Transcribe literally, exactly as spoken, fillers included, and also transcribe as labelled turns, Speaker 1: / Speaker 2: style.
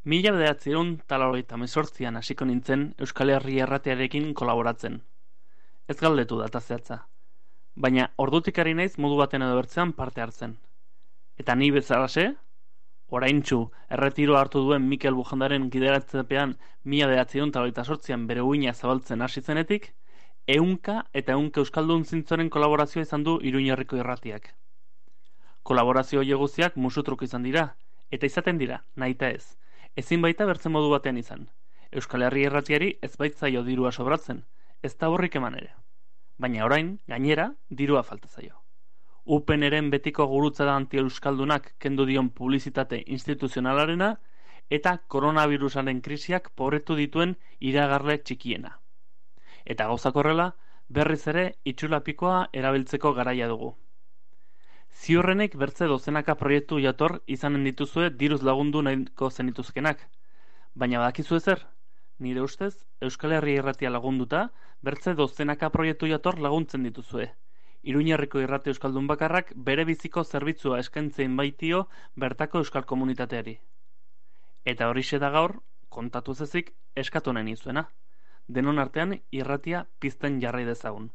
Speaker 1: Mila bederatziehun eta laurogeita hemezortzian hasiko nintzen Euskal Herria Irratiarekin kolaboratzen. Ez galdetu data zehatza, baina ordutik ari naiz modu baten edo bertzean parte hartzen. Eta ni bezalaxe, oraintsu erretiroa hartu duen Mikel Bujandaren gidaratzepean mila bederatziehun eta laurogeita zortzian bere uina zabaltzen hasi zenetik, ehunka eta ehunka euskaldun zintzoren kolaborazioa izan du Iruñerriko Irratiak. Kolaborazio horiek guztiak musutruk izan dira, eta izaten dira, nahita ez. Ezin baita bertzen modu batean izan. Euskal Herria Irratiari ez baitzaio dirua sobratzen, ez da horrik eman ere. Baina orain, gainera, dirua falta zaio. Upeneren betiko gurutzada anti-euskaldunak kendu dion publizitate instituzionalarena eta koronavirusaren krisiak pobretu dituen iragarle txikiena. Eta gauzak horrela, berriz ere itxulapikoa erabiltzeko garaia dugu. Ziurrenek bertze dozenaka proiektu jator izanen dituzue diruz lagundu nahiko zenituzkenak. Baina badakizu ezer? Nire ustez, Euskal Herria Irratia lagunduta, bertze dozenaka proiektu jator laguntzen dituzue. Iruñerriko Irrati euskaldun bakarrak bere biziko zerbitzua eskaintzen baitio bertako euskal komunitateari. Eta horixe da gaur, kontatu zezik, eskatu nahi nizuena. Denon artean irratia pizten jarrai dezagun.